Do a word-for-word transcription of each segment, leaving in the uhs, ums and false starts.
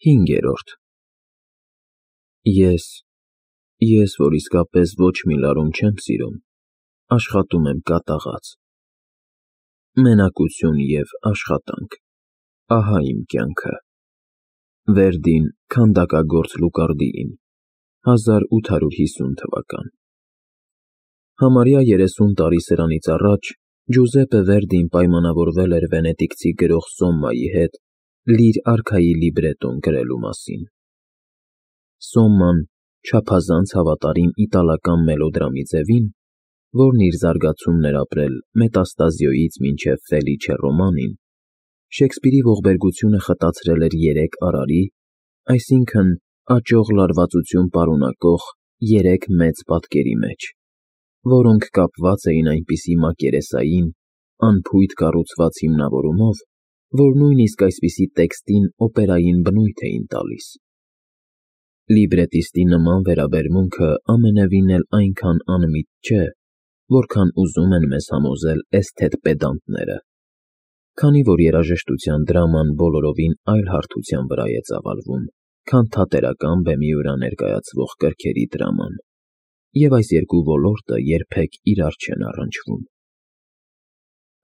Հինգերորդ Ես, ես, որ իսկապես ոչ մի լարում չեմ սիրում, աշխատում եմ կատաղած։ Մենակություն և աշխատանք, ահա իմ կյանքը։ Վերդին քանդակագործ Լուկարդիին, հազար ութ հարյուր հիսուն թվական Համարյա երեսուն տարի սրանից առաջ Ջուզեպպե Վերդին պայմանավորվել էր վենետիկցի գրող Սոմմայի հետ «Լիր» արքայի լիբրետոն գրելու մասին։ Սոմման, չափազանց հավատարիմ իտալական մելոդրամի ձևին, որն իր զարգացումն էր ապրել Մետաստազիոյից մինչև Ֆելիչե Ռոմանին, Շեքսպիրի ողբերգությունը խտացրել էր երեք արարի, այսինքն՝ աճող լարվածություն պարունակող երեք մեծ պատկերի մեջ, որոնք կապված էին այնպիսի մակերեսային, անփույթ կառուցված հիմնավորումով, որ նույնիսկ այսպիսի տեքստին օպերային բնույթ էին տալիս։ Լիբրետիստի նման վերաբերմունքը ամենևին էլ այնքան անմիտ չէ, որքան ուզում են մեզ համոզել էսթետ պեդանտները, քանի որ երաժշտության դրաման բոլորովին այլ հարթության վրա է ծավալվում, քան թատերական բեմի վրա ներկայացվող կրքերի դրաման, և այս երկու ոլորտը երբեք իրար չեն առնչվում։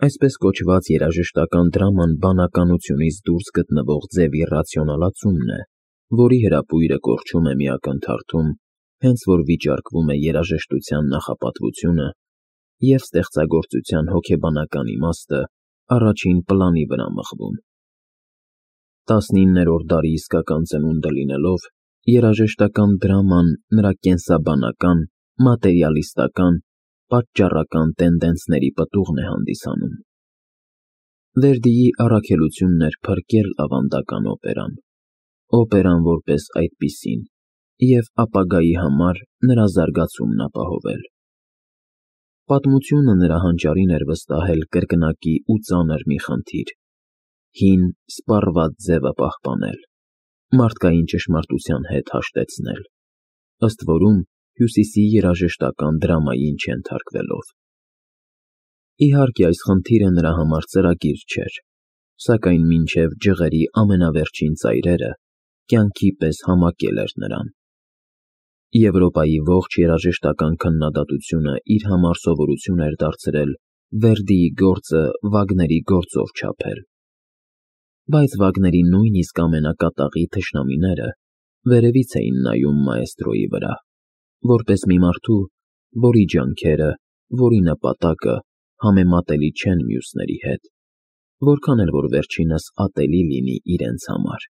Այսպես կոչված երաժշտական դրաման բանականությունից դուրս գտնվող ձևի ռացիոնալացումն է, որի հրապույրը կորչում է մի ակնթարթում, հենց որ վիճարկվում է երաժշտության նախապատվությունը և ստեղծագործության հոգեբանական իմաստը առաջին պլանի վրա մղվում։ Տասնիններորդ դարի իսկական ծնունդը լինելով, երաժշտական դրաման նրա կենսաբանական, մատերիալիստական, պատճառական տենդենսների պտուղն է հանդիսանում։ Վերդիի առաքելությունն էր փրկել ավանդական օպերան, օպերան որպես այդպիսին, և ապագայի համար նրա զարգացումն ապահովել։ Պատմությունը նրա հանճարին էր վստահել կրկնակի ու ծանր մի խնդիր՝ հին, սպառված ձևը պահպանել, մարդկային ճշմարտության հետ հաշտեցնել, ըստ որում Հյուսիսի երաժշտական դրամային չենթարկվելով։ Իհարկե, այս խնդիրը նրա համար ծրագիր չէր, սակայն մինչև ջղերի ամենավերջին ծայրերը կյանքի պես համակել էր նրան։ Եվրոպայի ողջ երաժշտական քննադատությունը իր համար սովորություն էր դարձրել Վերդիի գործը Վագների գործով չափել։ Բայց Վագների նույնիսկ ամենակատաղի թշնամիները վերևից էին նայում մաեստրոյի վրա, որպես մի մարդու, որի ջանքերը, որի նպատակը համեմատելի չեն մյուսների հետ, որքան էլ որ վերջինս ատելի լինի իրենց համար։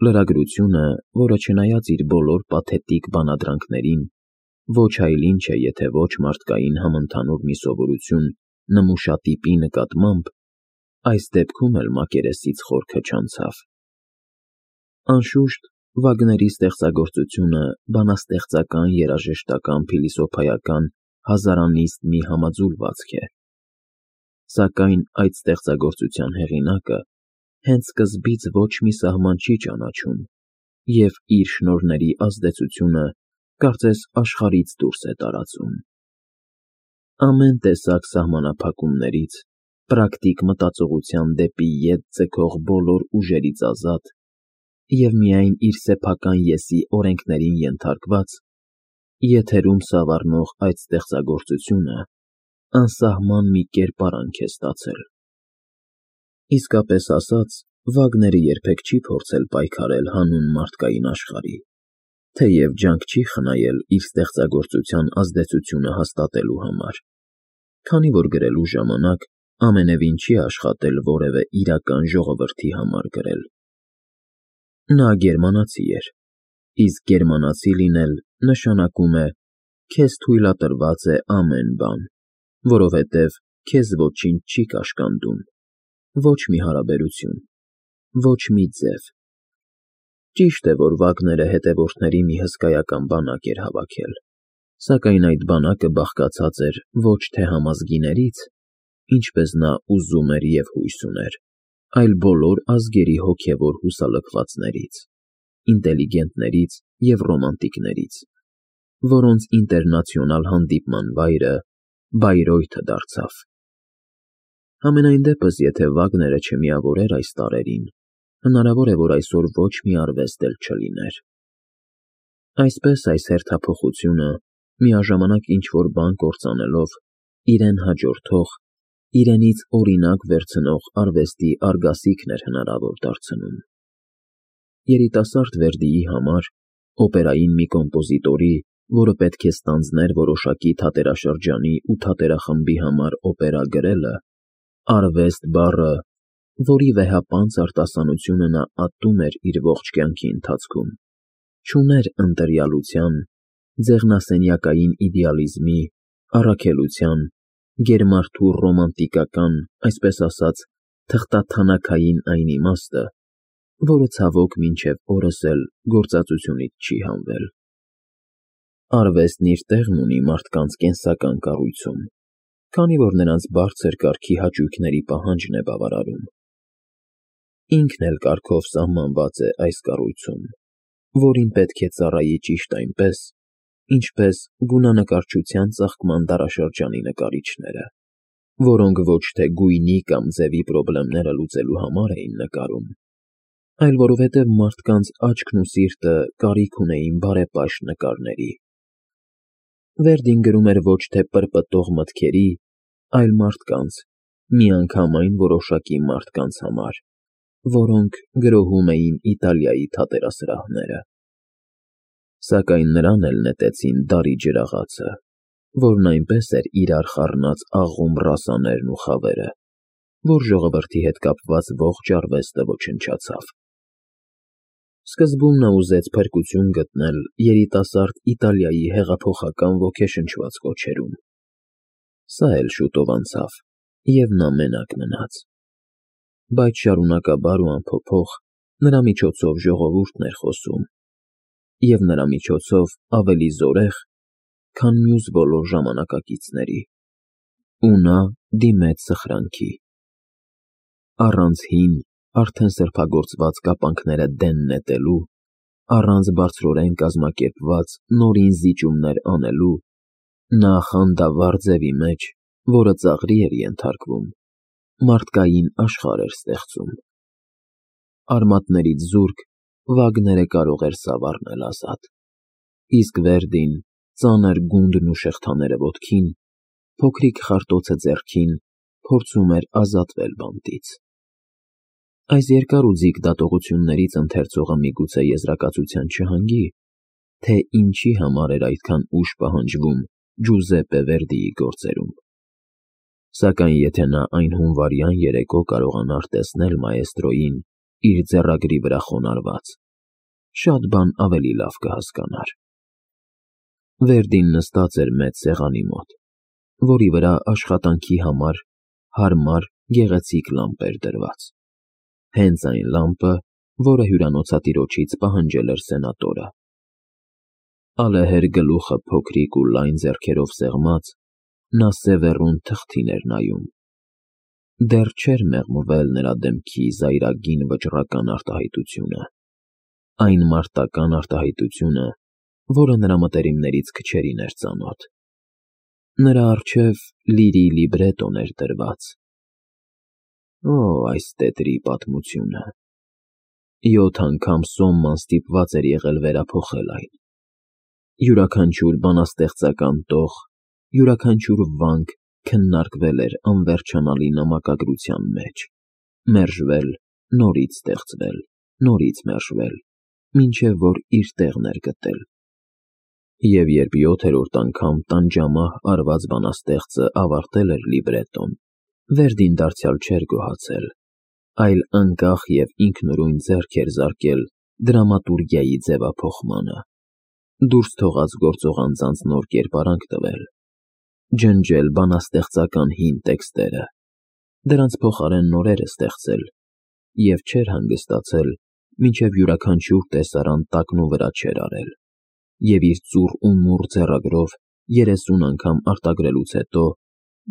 Լրագրությունը, որը չնայած իր բոլոր պաթետիկ բանադրանքներին, ոչ այլ ինչ է, եթե ոչ մարդկային համընդհանուր մի սովորություն նմուշատիպի նկատմամբ, այս դեպքում էլ մակերեսից խորքը չանցավ։ Անշուշտ, Վագների ստեղծագործությունը բանաստեղծական երաժշտական փիլիսոփայական հազարանիստ մի համաձուլվածք է։ Սակայն այդ ստեղծագործության հեղինակը հենց սկզբից ոչ մի սահման չի ճանաչում և իր շնորհների ազդեցությունը կարծես աշխարհից դուրս է տարածում։ Ամեն տեսակ սահմանափակումներից, պրակտիկ մտածողության դեպի ետ ձգող բոլոր ուժերից ազատ և միայն իր սեփական ես-ի օրենքներին ենթարկված, եթերում սավառնող այդ ստեղծագործությունը անսահման մի կերպարանք է ստացել։ Իսկապես ասած, Վագները երբեք չի փորձել պայքարել հանուն մարդկային աշխարհի, թեև ջանք չի խնայել իր ստեղծագործության ազդեցությունը հաստատելու համար, քանի որ գրելու ժամանակ ամենևին չի աշխատել որևէ իրական ժողովրդի համար գրել։ Նա գերմանացի էր, իսկ գերմանացի լինել նշանակում է քեզ թույլատրված է ամեն բան, որովհետև քեզ ոչինչ չի կաշկանդում, ոչ մի հարաբերություն, ոչ մի ձև։ Ճիշտ է, որ Վագները հետևորդների մի հսկայական բանակ էր հավաքել, սակայն այդ բանակը բաղկացած էր ոչ թե համազգիներից, ինչպես նա ուզում էր և հույս ուներ, այլ բոլոր ազգերի հոգևոր հուսալքվածներից, ինտելիգենտներից և ռոմանտիկներից, որոնց ինտերնացիոնալ հանդիպման վայրը Բայրեութը դարձավ։ Համենայն դեպս, եթե Վագները չմիավորեր այս տարրերին, հնարավոր է, որ այսօր ոչ մի արվեստ էլ չլիներ։ Այսպես այս հերթափոխությունը, միաժամանակ ինչ-որ բան կործանելով, իրեն հաջորդող, իրենից օրինակ վերցնող արվեստի արգասիքն էր հնարավոր դարձնում։ Երիտասարդ Վերդիի համար, օպերային մի կոմպոզիտորի, որը պետք է ստանձներ որոշակի թատերաշրջանի ու թատերախմբի համար օպերա գրելը, արվեստ բառը, որի վեհապանծ արտասանությունը նա ատում էր իր ողջ կյանքի ընթացքում, չուներ ընտրյալության, ձեղնասենյակային իդեալիզմի, առաքելության, գերմարդու ռոմանտիկական, այսպես ասած, թղթաթանաքային այն իմաստը, որը ցավոք մինչև օրս էլ գործածությունից չի հանվել։ Արվեստն իր տեղն ունի մարդկանց կենսական կառույցում, քանի որ նրանց բարձր կարգի հաճույքների պահանջն է բավարարում։ Ինքն էլ կարգով սահմանված է այս կառույցում, որին պետք է ծառայի ճիշտ այնպես, ինչպես գունանկարչության ծաղկման դարաշրջանի նկարիչները, որոնք ոչ թե գույնի կամ ձևի պրոբլեմները լուծելու համար էին նկարում, այլ որովհետև մարդկանց աչքն ու սիրտը կարիք ունեին բարեպաշտ նկարների։ Վերդին գրում էր ոչ թե պրպտող մտքերի, այլ մարդկանց, միանգամայն որոշակի մարդկանց համար, որոնք գրոհում էին Իտալիայի թատերասրահները։ Սակայն նրան էլ նետեցին դարի ջրաղացը, որն այնպես էր իրար խառնած աղում ռասաներն ու խավերը, որ ժողովրդի հետ կապված ողջ արվեստը ոչնչացավ։ Սկզբում նա ուզեց փրկություն գտնել երիտասարդ Իտալիայի հեղափոխական ոգեշնչված կոչերում։ Սա էլ շուտով անցավ, և նա մենակ մնաց։ Բայց շարունակաբար ու անփոփոխ նրա միջոցով ժողովուրդն էր խոսում, և նրա միջոցով ավելի զորեղ, քան մյուս բոլոր ժամանակակիցների, ու նա դիմեց սխրանքի։ Առանց հին, արդեն սրբագործված կապանքները դեն նետելու, առանց բարձրորեն կազմակերպված նորին զիջումներ անելու, նա խանդավառ ձևի մեջ, որը ծաղրի էր ենթարկվում, մարդկային աշխարհ էր ստեղծում։ Արմատներից զուրկ Վագները կարող էր սավ առնել ազատ, իսկ Վերդին, ծանր գունդն ու շղթաները ոտքին, փոքրիկ խարտոցը ձեռքին, փորձում էր ազատվել բանտից։ Այս երկար ու ձիգ դատողություններից ընթերցողը միգուցե եզրակացության չհանգի, թե ինչի համար էր այդքան ուժ պահանջվում Ջուզեպպե Վերդիի գործերում։ Սակայն եթե նա այն հունվարյան երեկո կարողանար տեսնել մաեստրոյին իր ձեռագրի վրա խոնարհված, շատ բան ավելի լավ կհասկանար։ Վերդին նստած էր մեծ սեղանի մոտ, որի վրա աշխատանքի համար հարմար, գեղեցիկ լամպ էր դրված։ Հենց այն լամպը, որը հյուրանոցատիրոջից պահանջել էր սենատորը։ Ալեհեր գլուխը փոքրիկ ու լայն ձեռքերով սեղմած, նա սևեռուն թղթին էր նայում։ Դեռ չէր մեղմվել նրա դեմքի զայրագին վճռական արտահայտությունը, այն մարտական արտահայտությունը, որը նրա մտերիմներից քչերին էր ծանոթ։ Նրա առջև լիրի լիբրետոն էր դրված։ Օ, այս տետրի պատմությունը։ Յոթ անգամ Սոմման ստիպված էր եղել վերափոխել այն։ Յուրաքանչյուր բանաստեղծական տող, յուրաքանչյուր վանք քննարկվել էր անվերջանալի նամակագրության մեջ, մերժվել, նորից ստեղծվել, նորից մերժվել, մինչև որ իր տեղն էր գտել։ Եվ երբ յոթերորդ անգամ տանջամահ արված բանաստեղծը ավարտել էր լիբրետոն, Վերդին դարձյալ չէր գոհացել, այլ անկախ և ինքնուրույն ձեռք էր զարկել դրամատուրգիայի ձևափոխմանը, դուրս թողած գործող անձանց նոր կերպարանք տվել, ջնջել բանաստեղծական հին տեքստերը, դրանց փոխարեն նորերը ստեղծել և չէր հանգստացել, մինչև յուրաքանչյուր տեսարան տակնու վրա չէր արել, և իր ծուռ ու մուռ ձեռագրով երեսուն անգամ արտագրելուց հետո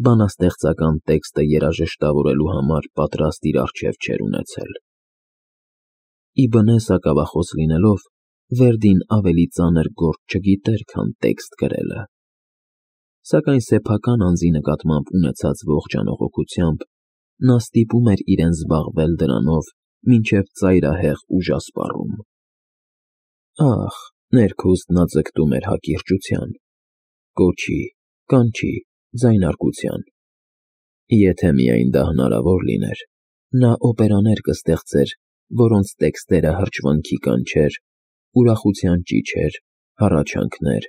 բանաստեղծական տեքստը երաժշտավորելու համար պատրաստ իր առջև չէր ունեցել։ Ի բնե սակավախոս լինելով, Վերդին ավելի ծանր գործ չգիտեր, քան տեքստ գրելը։ Սակայն սեփական անձի նկատմամբ ունեցած ողջ անողոքությամբ նա ստիպում էր իրեն զբաղվել դրանով մինչև ծայրահեղ ուժ ասպառում։ Ախ, ներքուստ նա ձգտում էր հակիրճության, կոչի, կանչի, ձայնարկության։ Եթե միայն դա հնարավոր լիներ, նա օպերաներ կստեղծեր, որոնց տեքստերը հրճվանքի կանչեր, ուրախության ճիչեր, հառաչանքներ,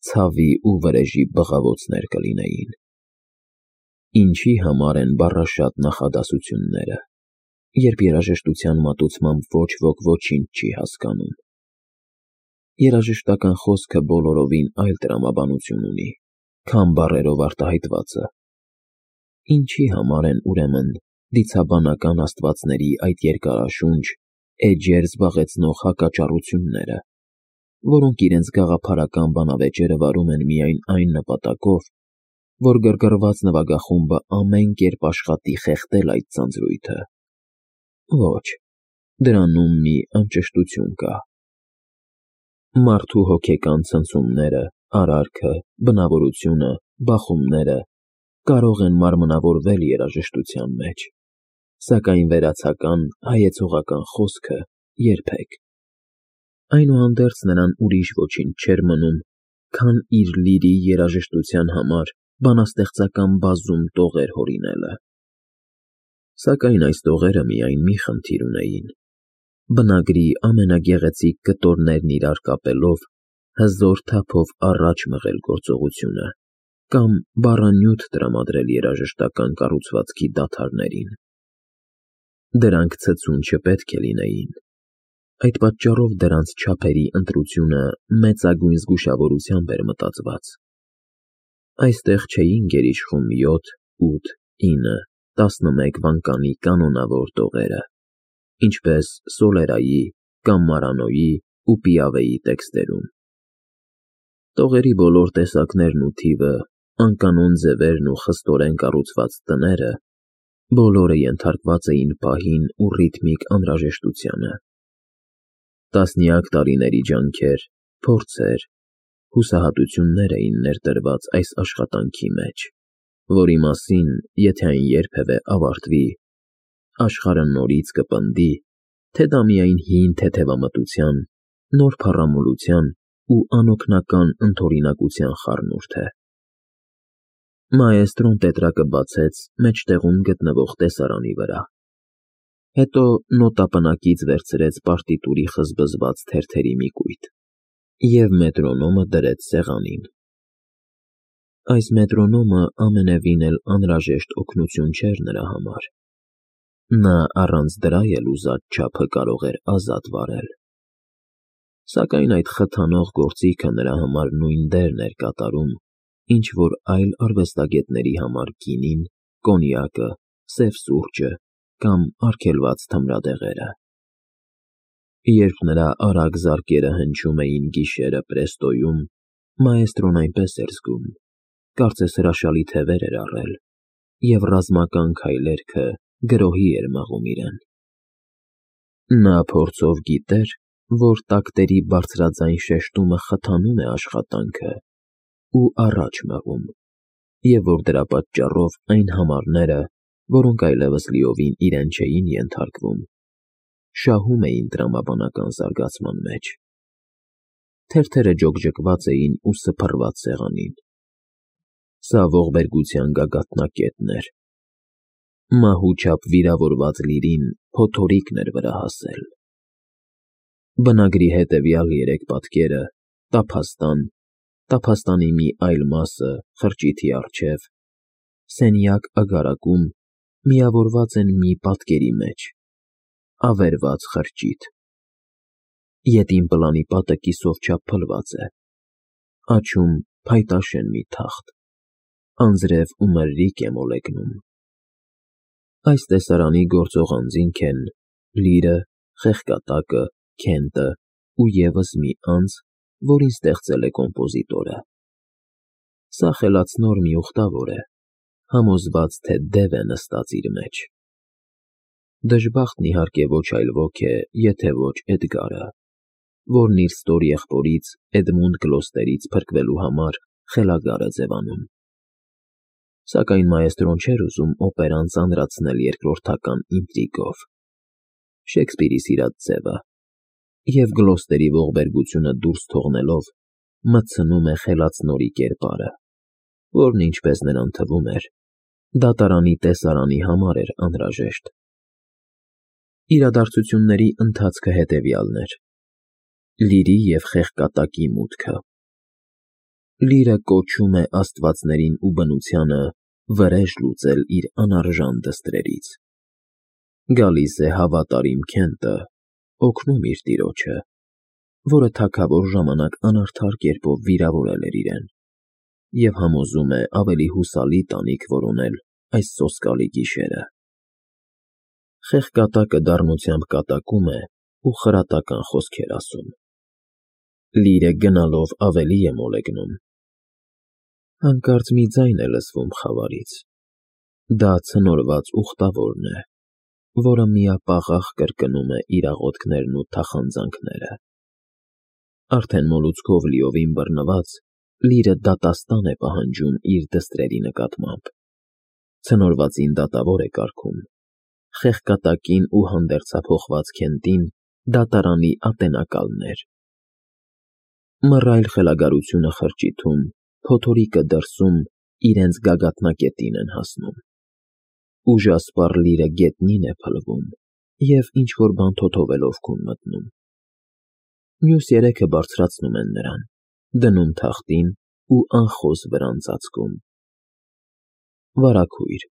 ցավի ու վրեժի բղավոցներ կլինեին։ Ինչի համար են բառաշատ նախադասությունները, երբ երաժշտության մատուցմամբ ոչ ոք ոչինչ չի հասկանում։ Երաժշտական խոսքը բոլորովին այլ տրամաբանություն ունի, քան բառերով արտահայտվածը։ Ինչի համար են, ուրեմն, դիցաբանական աստվածների այդ երկարաշունչ, էջեր զբաղեցնող հակաճառությունները, որոնք իրենց գաղափարական բանավեճերը վարում են միայն այն նպատակով, որ գրգռված նվագախումբը ամեն կերպ աշխատի խեղդել այդ ձանձրույթը։ Ոչ, դրանում մի անճշտություն կա։ Մարդու հոգեկան ցնցումները, արարքը, բնավորությունը, բախումները կարող են մարմնավորվել երաժշտության մեջ, սակայն վերացական, հայեցողական խոսքը՝ երբեք։ Այնուհանդերձ նրան ուրիշ ոչինչ չէր մնում, քան իր լիրի երաժշտության համար բանաստեղծական բազում տողեր հորինելը։ Սակայն այս տողերը միայն մի խնդիր ունեին. բնագրի ամենագեղեցիկ կտորներն իրար կապելով, հզոր թափով առաջ մղել գործողությունը, կամ բառանյութ տրամադրել երաժշտական կառուցվածքի դադարներին։ Դրանք ցցուն չպետք է լինեին։ Այդ պատճառով դրանց չափերի ընտրությունը մեծագույն զգուշավորությամբ էր մտածված։ Այստեղ չէին գերիշխում յոթ, ութ, ինը, տասնմեկ վանկանի կանոնավոր տողերը, ինչպես Սոլերայի կամ Մարանոյի ու Պիավեի տեքստերում։ Տողերի բոլոր տեսակներն ու թիվը, անկանոն ձևերն ու խստորեն կառուցված տները, բոլորը ենթարկված էին պահին ու ռիթմիկ անհրաժեշտությանը։ Տասնյակ տարիների ջանքեր, փորձեր, հուսահատություններ էին ներդրված այս աշխատանքի մեջ, որի մասին, եթե այն երբևէ ավարտվի, աշխարհը նորից կպնդի, թե դա միայն հին թեթևամտության, նոր փառամոլության ու անօգնական ընդօրինակության խառնուրդ է։ Մաեստրոն տետրակը բացեց մեջտեղում գտնվող տեսարանի վրա, հետո նոտապնակից վերցրեց պարտիտուրի խզբզված թերթերի մի կույտ և մետրոնոմը դրեց սեղանին։ Այս մետրոնոմը ամենևին էլ անհրաժեշտ օգնություն չէր նրա համար։ Նա առանց դրա էլ ուզած չափը կարող էր ազատ վարել։ Սակայն այդ խթանող գործիքը նրա համար նույն դերն էր կատարում, ինչ որ այլ արվեստագետների համար գինին, կոնյակը, սև սուրճը կամ արգելված թմրադեղերը։ Երբ նրա արագ զարկերը հնչում էին գիշերը Պրեստոյում, մաեստրոն այնպես էր զգում, կարծես հրաշալի թևեր էր առել, և ռազմական քայլերքը գրոհի էր մղում իրեն։ Նա փորձով գիտեր, որ տակտերի բարձրաձայն շեշտումը խթանում է աշխատանքը ու առաջ մղում, և որ դրա պատճառով այն համարները, որոնք այլևս լիովին իրեն չէին ենթարկվում, շահում էին տրամաբանական զարգացման մեջ։ Թերթերը ջոկջկված էին ու սփռված սեղանին։ Սա ողբերգության գագաթնակետն էր։ Մահու չափ վիրավորված լիրին փոթորիկն էր վրա հասել։ Բնագրի հետևյալ երեք պատկերը՝ տափաստան, տափաստանի մի այլ մասը խրճիթի առջև, սենյակագարակում, միավորված են մի պատկերի մեջ՝ ավերված խրճիթ։ Ետին պլանի պատը կիսով չափ փլված է, աջ-ում փայտաշեն մի թախտ, անձրև ու մրրիկ է մոլեգնում։ Այս տեսարանի գործող անձինք են լիրը, խեղկատակը, Քենտը ու ևս մի անձ, որին ստեղծել է կոմպոզիտորը։ Սա խելացնոր մի ուխտավոր է, համոզված, թե դև է նստած իր մեջ։ Դժբախտն իհարկե ոչ այլ ոք է, եթե ոչ Էդգարը, որն իր ստոր եղբորից՝ Էդմունդ Գլոստերից փրկվելու համար խելագար է ձևանում։ Սակայն մաեստրոն չէր ուզում օպերան ծանրացնել երկրորդական ինտրիգով։ Շեքսպիրի սիրած ձևը, և Գլոստերի ողբերգությունը դուրս թողնելով մտցնում է խելացնորի կերպարը, որն, ինչպես նրան թվում էր, դատարանի տեսարանի համար էր անհրաժեշտ։ Իրադարձությունների ընթացքը հետևյալն էր. Լիրի և խեղկատակի մուտքը։ Լիրը կոչում է աստվածներին ու բնությանը վրեժ լուծել իր անարժան դստրերից։ Գալիս է հավատարիմ Քենտը, օգնում իր տիրոջը, որը թագավոր ժամանակ անարդար կերպով վիրավորել էր իրեն, և համոզում է ավելի հուսալի տանիք որոնել այս սոսկալի գիշերը։ Խեղկատակը դառնությամբ կատակում է ու խրատական խոսքեր ասում։ Լիրը գնալով ավելի է մոլեգնում։ Հանկարծ մի ձայն է լսվում խավարից։ Դա ցնորված ուխտավորն է, որը միապաղաղ կրկնում է իր աղոթքներն ու թախանձանքները։ Արդեն մոլուցքով լիովին բռնված, Լիրը դատաստան է պահանջում իր դստրերի նկատմամբ։ Ցնորվածին դատավոր է կարգում, խեղկատակին ու հանդերձափոխված Քենտին դատարանի ատենակալներ։ Մռայլ խելագարությունը խրճիթում, փոթորիկը դրսում իրենց գագաթնակետին են հասնում։ Ուժասպառ Լիրը գետնին է փլվում և ինչ֊որ բան թոթովելով քուն մտնում։ Մյուս երեքը բարձրացնում են նրան, դնում թախտին ու անխոզ վրան ծածկում։ Վարագույր,